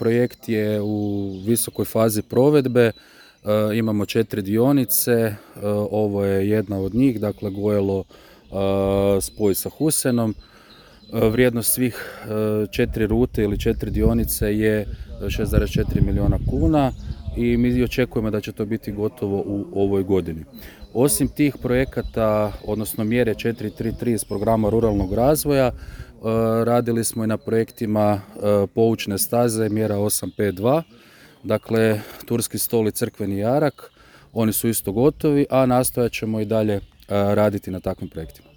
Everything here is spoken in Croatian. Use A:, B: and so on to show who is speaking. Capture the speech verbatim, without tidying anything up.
A: projekt je u visokoj fazi provedbe. Imamo četiri dionice, ovo je jedna od njih, dakle Gojelo spoj sa Husenom. Vrijednost svih četiri rute ili četiri dionice je šest zarez četiri milijuna kuna i mi očekujemo da će to biti gotovo u ovoj godini. Osim tih projekata, odnosno mjere četiri tri tri iz programa ruralnog razvoja, radili smo i na projektima poučne staze, mjera osam pet dva, dakle Turski stol i Crkveni jarak, oni su isto gotovi, a nastojat ćemo i dalje raditi na takvim projektima.